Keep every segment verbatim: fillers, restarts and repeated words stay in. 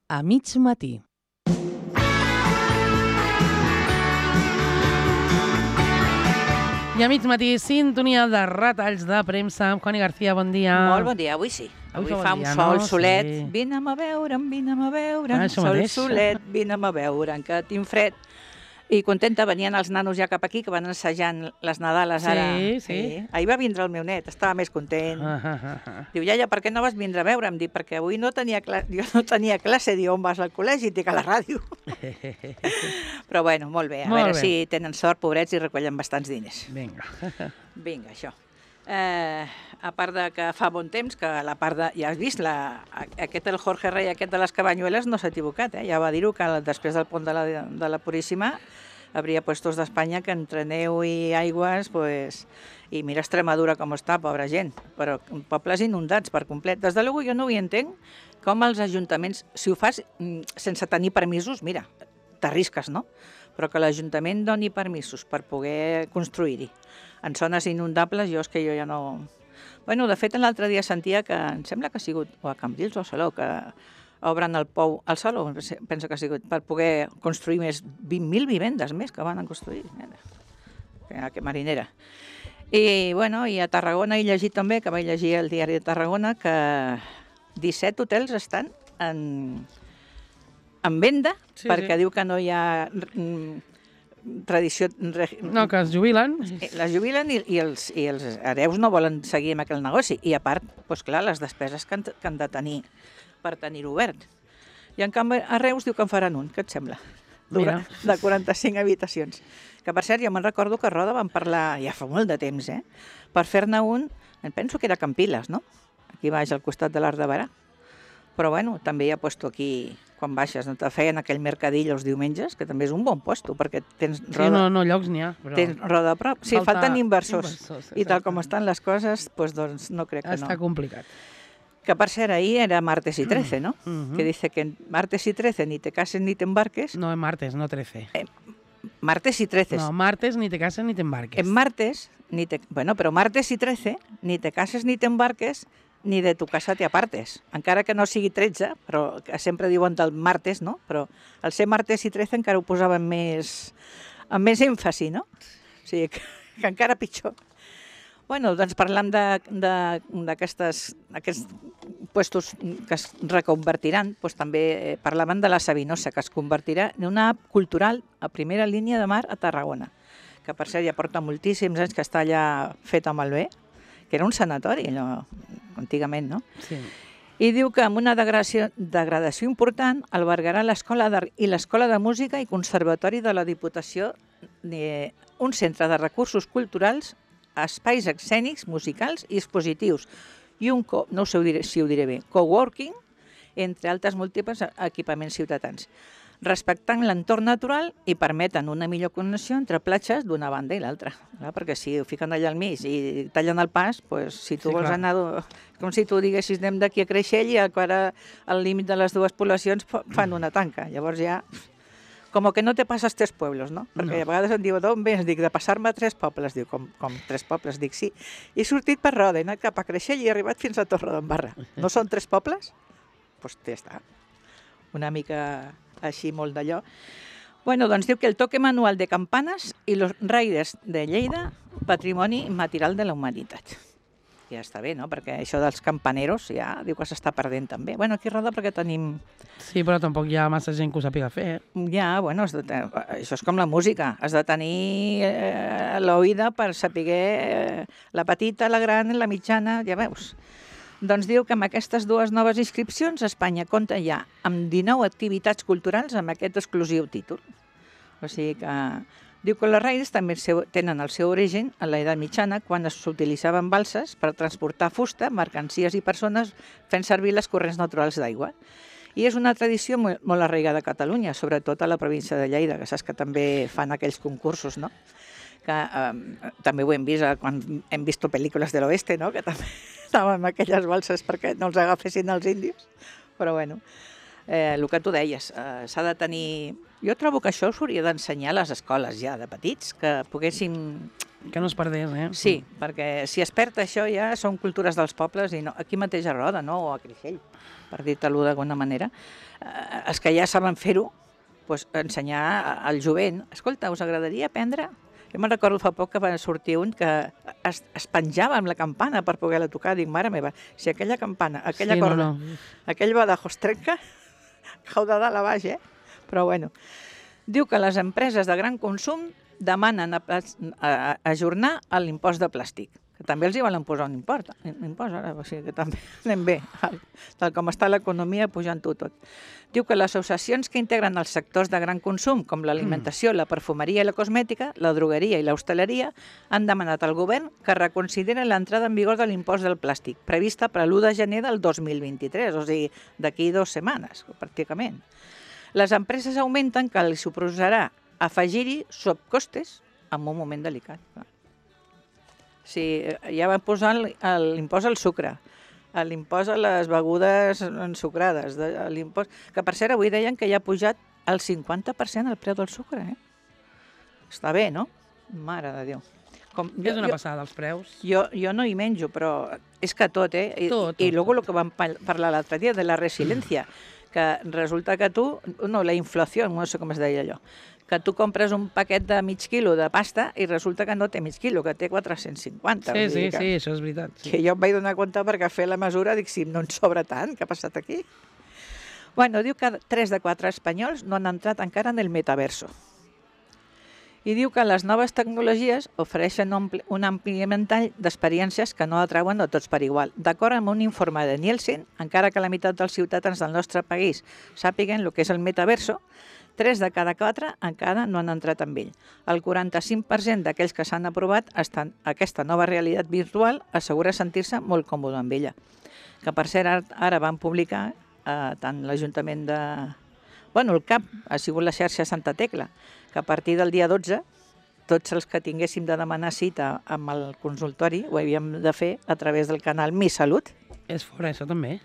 a mig matí. I a mig matí, sintonia de retalls de premsa amb Connie García, bon dia. Molt bon dia, avui sí. Avui, Avui fa bon un dia, sol no? solet. Sí. Vine'm a veure'm, vine'm a veure'm, Ah, això sol mateix. solet, vine'm a veure'm, que tinc fred. I contenta, venien els nanos ja cap aquí, que van assajant les Nadales Sí, ara. sí. Ahir va vindre el meu net, estava més content. Ah, ah, ah, ah. Diu, iaia, per què no vas vindre a veure'm? Dic, perquè avui no tenia classe, jo no tenia classe. Diu, on vas al col·legi? Dic, a la ràdio. Però bueno, molt bé, a Molt veure bé. si tenen sort, pobrets, i recollen bastants diners. Vinga. Vinga, això. Eh, a part de que fa bon temps, que la part de... Ja has vist, la, aquest, el Jorge Rey, aquest de les Cabanyueles, no s'ha equivocat, eh? Ja va dir-ho, que després del pont de la, de la Puríssima habria puestos d'Espanya que entre neu i aigües, pues... I mira Extremadura com està, pobra gent, però pobles inundats per complet. Des de luego jo no ho entenc, com els ajuntaments, si ho fas mm, sense tenir permisos, mira, t'arrisques, no? Però que l'Ajuntament doni permisos per poder construir-hi en zones inundables, jo és que jo ja no... Bueno, de fet, l'altre dia sentia que, em sembla que ha sigut, o a Cambrils o a Salou, que obren el pou, al Salou, penso que ha sigut, per poder construir més, vint mil vivendes més que van a construir. Mira, que marinera. I, bueno, i a Tarragona he llegit també, que vaig llegir el diari de Tarragona, que disset hotels estan en, en venda, Sí, perquè sí. diu que no hi ha mm, tradició... Re, No, que es jubilen. les jubilen i, i, els, i els hereus no volen seguir amb aquell negoci. I a part, doncs clar, les despeses que han, que han de tenir per tenir-ho obert. I en canvi a Reus diu que en faran un, què et sembla? Mira. De quaranta-cinc habitacions. Que per cert, jo me'n recordo que a Roda van parlar, ja fa molt de temps, eh? Per fer-ne un, em penso que era Campiles, no? Aquí baix, al costat de l'Arc de Barà. Però bueno, també hi ha puesto aquí, quan baixes, no te feien aquell mercadill els diumenges, que també és un bon puesto, perquè tens Sí, Roda, no, no, llocs n'hi ha. Però... tens Roda a prop. Sí, Falta falten inversors. inversors, I tal exacte. com estan les coses, doncs, doncs no crec que Està no. complicat. Que per cert, ahir era martes y trece, ¿no? Mhm. Que dice que martes y trece ni te cases ni te embarques. No, en martes, no trece. Martes y trece. No, martes ni te cases ni te embarques. En martes, ni te, bueno, però martes i trece, ni te cases ni te embarques, ni de tu casa te apartes. Encara que no sigui tretze, però que sempre diuen del martes, no? Però al ser martes i trece encara ho posaven més, amb més èmfasi, no? O sigui, que, que encara pitjor. Bueno, doncs parlant d'aquests puestos que es reconvertiran, doncs també eh, parlaven de la Sabinosa, que es convertirà en una app cultural a primera línia de mar a Tarragona, que per cert ja porta moltíssims anys que està allà feta malbé, que era un sanatori, allò, antigament, no? Sí. I diu que amb una degradació, degradació important albergarà l'Escola d'Art i l'Escola de Música i Conservatori de la Diputació, eh, un centre de recursos culturals, espais escènics, musicals i expositius, i un, co, no sé si ho diré bé, coworking, entre altres múltiples equipaments ciutadans, respectant l'entorn natural i permeten una millor connexió entre platges d'una banda i l'altra. Perquè si ho fiquen allà al mig i tallen el pas, pues, si tu Sí, vols clar. anar... Com si tu diguessis anem d'aquí a Creixell i ara al límit de les dues poblacions fan una tanca. Llavors ja... Com que no te passes tres pueblos, no? Perquè No. a vegades em diu, d'on vens? Dic, de passar-me tres pobles. Diu, com, com tres pobles? Dic, sí. He sortit per Roda, he anat cap a Creixell i he arribat fins a Torredembarra. No són tres pobles? Doncs pues ja està. Una mica així, molt d'allò. Bueno, doncs diu que el toque manual de campanes i los raiders de Lleida, patrimoni immaterial de la humanitat. Ja està bé, no? Perquè això dels campaneros ja diu que s'està perdent també. Bueno, aquí a Roda perquè tenim... Sí, però tampoc hi ha massa gent que ho sàpiga fer, eh? Ja, bueno, has de ten... això és com la música. Has de tenir eh, l'oïda per saber eh, la petita, la gran, la mitjana, ja veus. Doncs diu que amb aquestes dues noves inscripcions Espanya compta ja amb dinou activitats culturals amb aquest exclusiu títol. O sigui que... Diu que les raïs també seu, tenen el seu origen a l'edat mitjana, quan s'utilitzaven balses per transportar fusta, mercancies i persones fent servir les corrents naturals d'aigua. I és una tradició molt, molt arraigada a Catalunya, sobretot a la província de Lleida, que saps que també fan aquells concursos, no? Que eh, també ho hem vist eh, quan hem vist pel·lícules de l'oeste, no? Que també estaven amb aquelles balses perquè no els agafessin els índios. Però bueno, eh, el que tu deies, eh, s'ha de tenir... Jo trobo que això s'hauria d'ensenyar a les escoles ja de petits, que poguéssim Que no es perdés, eh? Sí, perquè si es perd això ja són cultures dels pobles i no, aquí mateix a Roda, no? O a Creixell, per dir-te-ho d'alguna manera. Eh, els que ja saben fer-ho, doncs, ensenyar al jovent. Escolta, us agradaria aprendre? Jo me'n recordo fa poc que va sortir un que es, es penjava amb la campana per poder-la tocar. Dic, mare meva, si aquella campana, aquella Sí, corda, no, no. aquell badajo es trenca, cau de dalt a baix, eh? Però bueno. Diu que les empreses de gran consum demanen a, a, a ajornar l'impost de plàstic, que també els hi volen posar un import, un impost ara, o sigui que també anem bé, tal com està l'economia pujant-ho tot. Diu que les associacions que integren els sectors de gran consum, com l'alimentació, la perfumeria i la cosmètica, la drogueria i l'hostaleria, han demanat al govern que reconsideri l'entrada en vigor de l'impost del plàstic, prevista per l'u de gener del dos mil vint-i-tres, o sigui, d'aquí dues setmanes, pràcticament. Les empreses augmenten que els suposarà afegir-hi sobrecostes en un moment delicat. Sí, ja van posar l'impost al sucre, l'impost a les begudes ensucrades, l'impost... Que per cert, avui deien que ja ha pujat el cinquanta per cent el preu del sucre, eh? Està bé, no? Mare de Déu. Com, És una passada, els preus. Jo, jo no hi menjo, però és que tot, eh? I, Tot, tot, i luego el que vam parlar l'altre dia de la resiliència, que resulta que tu, no, la inflació, no sé com es deia allò, que tu compres un paquet de mig quilo de pasta i resulta que no té mig quilo, que té quatre-cents cinquanta. Sí, sí, que, sí, això és veritat. Sí. Que jo em vaig donar compte perquè fer la mesura, dic, si no en sobra tant, què ha passat aquí? Bueno, diu que tres de quatre espanyols no han entrat encara en el metaverso. I diu que les noves tecnologies ofereixen un ampli ventall d'experiències que no atrauen a tots per igual. D'acord amb un informe de Nielsen, encara que la meitat dels ciutadans del nostre país sàpiguen el que és el metaverso, tres de cada quatre encara no han entrat amb ell. El quaranta-cinc per cent d'aquells que s'han aprovat estan, aquesta nova realitat virtual assegura sentir-se molt còmode amb ella. Que per cert ara van publicar eh, tant l'Ajuntament de... Bueno, el C A P ha sigut la xarxa Santa Tecla, que a partir del dia dotze tots els que tinguéssim de demanar cita amb el consultori ho havíem de fer a través del canal Mi Salut. És fora, això també.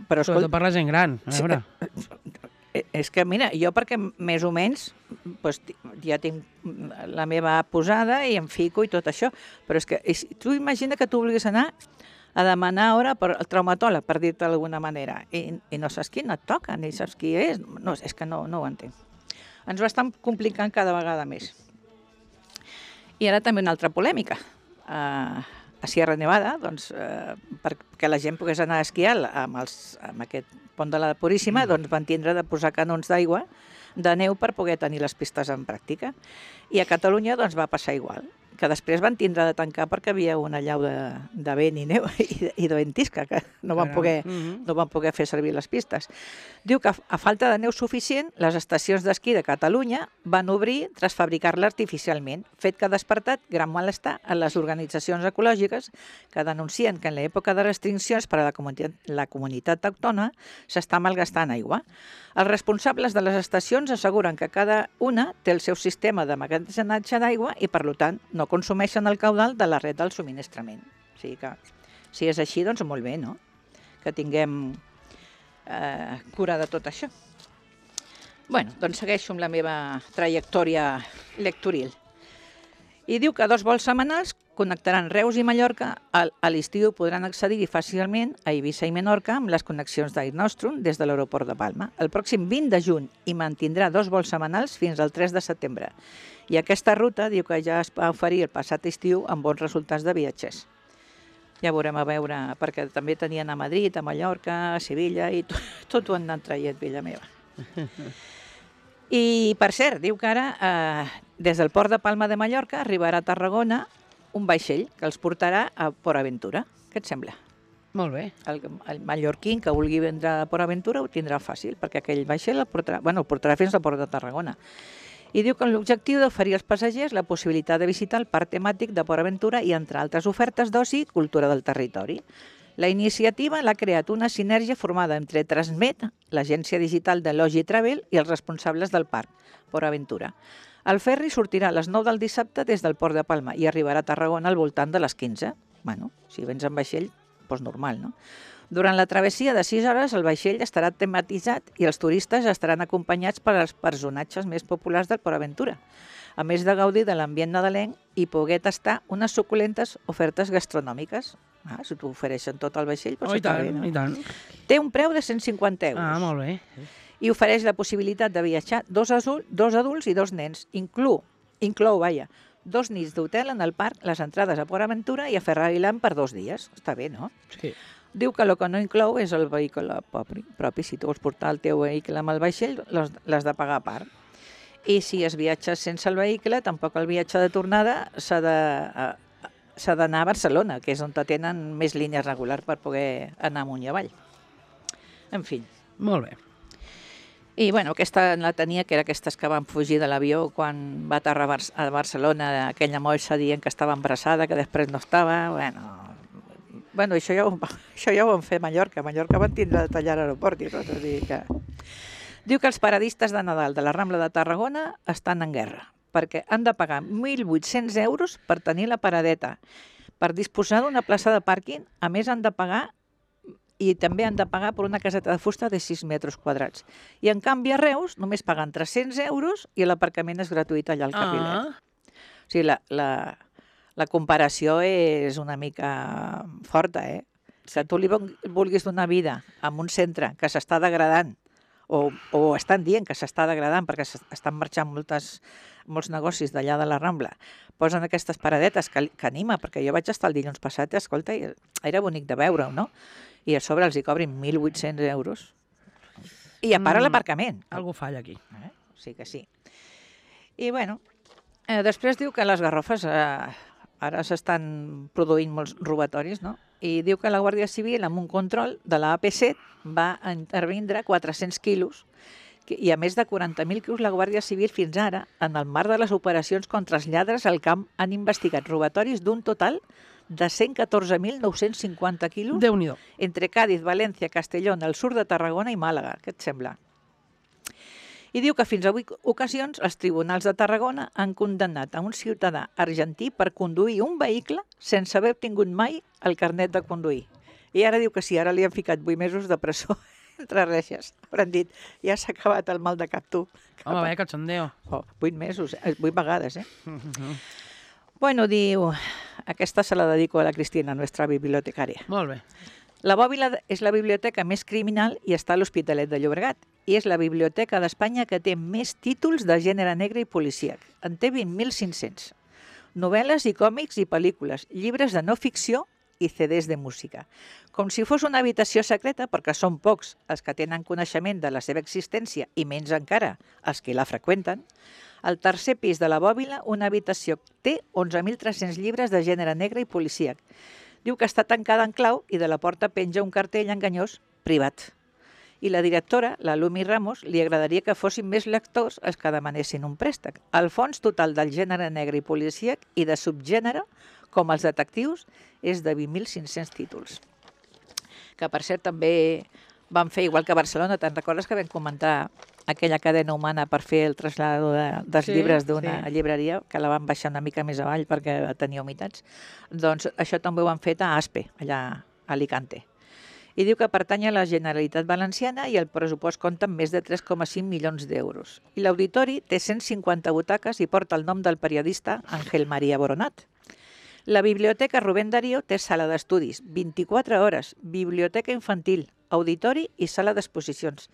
Però, Sobretot per la gent gran, a veure. Sí, és que, mira, jo perquè més o menys doncs, ja tinc la meva posada i em fico i tot això, però és que és, tu imagina que tu vulguis anar a demanar hora per el traumatòleg, per dir-te d'alguna manera, i, i no saps qui no et toca, ni saps qui és, no, és que no, no ho entenc. Ens ho estan complicant cada vegada més. I ara també una altra polèmica. Uh, a Sierra Nevada, doncs, uh, perquè la gent pogués anar a esquiar amb, els, amb aquest pont de la Puríssima, doncs van tindre de posar canons d'aigua de neu per poder tenir les pistes en pràctica. I a Catalunya doncs, va passar igual, que després van tindre de tancar perquè havia una llau de, de vent i neu i, i de ventisca, que no van, poder, no van poder fer servir les pistes. Diu que a falta de neu suficient, les estacions d'esquí de Catalunya van obrir tras fabricar-la artificialment, fet que ha despertat gran malestar en les organitzacions ecològiques que denuncien que en l'època de restriccions per a la comunitat, la comunitat autònoma s'està malgastant aigua. Els responsables de les estacions asseguren que cada una té el seu sistema de magatzematge d'aigua i, per tant, no consumeixen el caudal de la red del subministrament. O sigui que, si és així, doncs molt bé, no? Que tinguem eh, cura de tot això. Bueno, doncs segueixo amb la meva trajectòria lectoril. I diu que dos vols setmanals connectaran Reus i Mallorca. A l'estiu podran accedir fàcilment a Eivissa i Menorca amb les connexions d'Air Nostrum des de l'aeroport de Palma. El pròxim vint de juny hi mantindrà dos vols setmanals fins al tres de setembre. I aquesta ruta diu que ja es va oferir el passat estiu amb bons resultats de viatgers. Ja veurem a veure, perquè també tenien a Madrid, a Mallorca, a Sevilla, i tot, tot ho han anat traient, vella meva. I, per cert, diu que ara, eh, des del port de Palma de Mallorca, arribarà a Tarragona un vaixell que els portarà a Port Aventura. Què et sembla? Molt bé. El, el mallorquín que vulgui vendre a Port Aventura ho tindrà fàcil, perquè aquell vaixell el portarà, bueno, el portarà fins al port de Tarragona. I diu que l'objectiu d'oferir als passatgers la possibilitat de visitar el parc temàtic de Port Aventura i, entre altres ofertes d'oci, cultura del territori. La iniciativa l'ha creat una sinergia formada entre Transmet, l'agència digital de Logi Travel, i els responsables del parc, Port Aventura. El ferri sortirà a les nou del dissabte des del port de Palma i arribarà a Tarragona al voltant de les quinze. Bueno, si vens amb vaixell, doncs normal, no? Durant la travessia de sis hores, el vaixell estarà tematitzat i els turistes estaran acompanyats per als personatges més populars del Port Aventura. a més de gaudir de l'ambient nadalenc i poder tastar unes suculentes ofertes gastronòmiques. Ah, si t'ho ofereixen tot al vaixell, doncs Oh, i està tant, bé, no? i tant. Té un preu de cent cinquanta euros. Ah, molt bé. I ofereix la possibilitat de viatjar dos, adults, dos adults i dos nens. Inclou, inclou, vaja, dos nits d'hotel en el parc, les entrades a Port Aventura i a Ferrari Land per dos dies. Està bé, no? Sí. Diu que el que no inclou és el vehicle propi. propi. Si tu vols portar el teu vehicle amb el vaixell, l'has de pagar a part. I si es viatja sense el vehicle, tampoc el viatge de tornada s'ha de... s'ha d'anar a Barcelona, que és on tenen més línies regulars per poder anar amunt i avall. En fi. Molt bé. I bueno, aquesta la tenia, que era aquestes que van fugir de l'avió quan va aterrar a Barcelona, aquella moixa dient que estava embarassada, que després no estava. Bueno, bueno això, ja ho, això ja ho van fer a Mallorca. A Mallorca van tindre de tallar l'aeroport i tot. Dir que... Diu que els paradistes de Nadal de la Rambla de Tarragona estan en guerra, perquè han de pagar mil vuit-cents euros per tenir la paradeta. Per disposar d'una plaça de pàrquing, a més han de pagar i també han de pagar per una caseta de fusta de sis metres quadrats. I en canvi a Reus només paguen tres-cents euros i l'aparcament és gratuït allà al Carrilet. Ah. O sigui, la, la, la comparació és una mica forta, eh? Si tu li vulguis donar vida en un centre que s'està degradant, o, o estan dient que s'està degradant perquè estan marxant moltes, molts negocis d'allà de la Rambla, posen aquestes paradetes que, que anima, perquè jo vaig estar el dilluns passat i, escolta, era bonic de veure-ho, no? I a sobre els hi cobrin mil vuit-cents euros. I a part mm, l'aparcament. Algú falla aquí. Eh? Sí que sí. I bueno, eh, després diu que les Garrofes eh, ara s'estan produint molts robatoris, no? I diu que la Guàrdia Civil, amb un control de la A P set, va intervindre quatre-cents quilos i a més de quaranta mil quilos la Guàrdia Civil fins ara, en el marc de les operacions contra els lladres al camp, han investigat robatoris d'un total de cent catorze mil nou-cents cinquanta quilos Déu-n'hi-do. entre Cádiz, València, Castellón, el sud de Tarragona i Màlaga. Què et sembla? I diu que fins a vuit ocasions els tribunals de Tarragona han condemnat a un ciutadà argentí per conduir un vehicle sense haver obtingut mai el carnet de conduir. I ara diu que sí, ara li han ficat vuit mesos de presó entre reixes. Hauran dit, ja s'ha acabat el mal de cap tu. Home, vaya cachondeo. Oh, vuit mesos, eh? vuit vegades, eh? Bueno, diu, aquesta se la dedico a la Cristina, nuestra bibliotecària. Molt bé. La Bòbila és la biblioteca més criminal i està a l'Hospitalet de Llobregat. I és la biblioteca d'Espanya que té més títols de gènere negre i policíac. En té vint mil cinc-cents. Novel·les i còmics i pel·lícules, llibres de no ficció i C Ds de música. Com si fos una habitació secreta, perquè són pocs els que tenen coneixement de la seva existència i menys encara els que la freqüenten, al tercer pis de la Bòbila, una habitació té onze mil tres-cents llibres de gènere negre i policíac. Diu que està tancada en clau i de la porta penja un cartell enganyós privat. I la directora, la Lumi Ramos, li agradaria que fossin més lectors els que demanessin un préstec. El fons total del gènere negre i policíac i de subgènere, com els detectius, és de vint mil cinc-cents títols. Que, per cert, també van fer, igual que a Barcelona, te'n recordes que vam comentar aquella cadena humana per fer el trasllat de, dels sí, llibres d'una sí. llibreria, que la van baixar una mica més avall perquè tenia humitats? Doncs això també ho han fet a Aspe, allà a Alicante. I diu que pertany a la Generalitat Valenciana i el pressupost compta amb més de tres coma cinc milions d'euros. I l'auditori té cent cinquanta butaques i porta el nom del periodista Ángel María Boronat. La Biblioteca Rubén Darío té sala d'estudis, vint-i-quatre hores, biblioteca infantil, auditori i sala d'exposicions.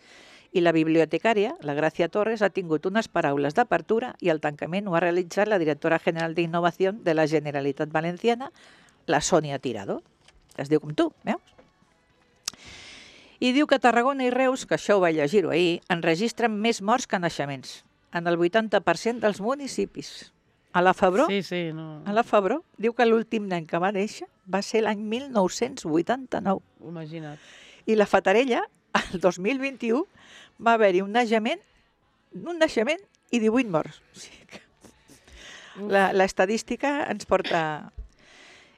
I la bibliotecària, la Gràcia Torres, ha tingut unes paraules d'apertura i el tancament ho ha realitzat la directora general d'Innovació de la Generalitat Valenciana, la Sònia Tirado. Es diu com tu, veus? I diu que Tarragona i Reus, que això ho vaig llegir-ho ahir, enregistren més morts que naixements, en el vuitanta per cent dels municipis. A la Febró, sí, sí, no. a la Febró, diu que l'últim nen que va néixer va ser l'any mil nou-cents vuitanta-nou. Imagina't. I la Fatarella, el dos mil vint-i-u, va haver-hi un naixement, un naixement i divuit morts. O sigui que la, l'estadística ens porta...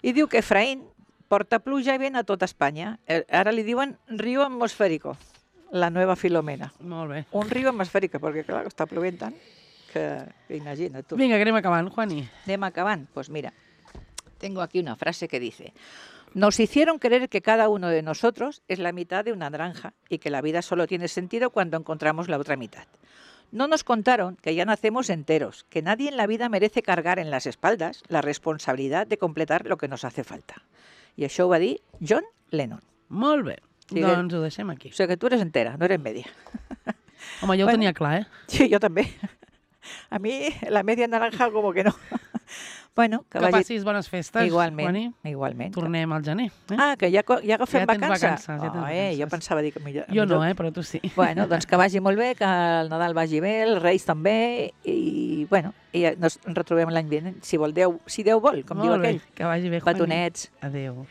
I diu que Efraín porta pluja i vent a tota Espanya. Ara li diuen riu atmosfèrico, la nova Filomena. Molt bé. Un riu atmosfèrico, perquè clar, està plovent tant que, que imagina't tu. Vinga, que anem acabant, Juani. Anem acabant. Pues mira, tengo aquí una frase que dice: nos hicieron creer que cada uno de nosotros es la mitad de una naranja y que la vida solo tiene sentido cuando encontramos la otra mitad. No nos contaron que ya nacemos enteros, que nadie en la vida merece cargar en las espaldas la responsabilidad de completar lo que nos hace falta. I això ho va dir John Lennon. Molt bé, Sí, doncs ho deixem aquí. O sigui que tu eres entera, no eres media. Home, jo ho Bueno. tenia clar, eh? Sí, yo también. A mí la media naranja como que no. Bueno, que, Que vagi... passis bones festes, Igualment, Juani. igualment. Tornem al gener. Eh? Ah, que ja, co- ja agafem Ja tens vacances. vacances, ja tens oh, eh, jo vacances. pensava dir que millor... Jo no, millor- eh? Però tu sí. Bueno, doncs que vagi molt bé, que el Nadal vagi bé, els Reis també, i, bueno, i ens retrobem l'any vinent, si vol Déu, si Déu vol, com diu Molt bé, aquell. que vagi bé, Juani. Batonets. Adéu.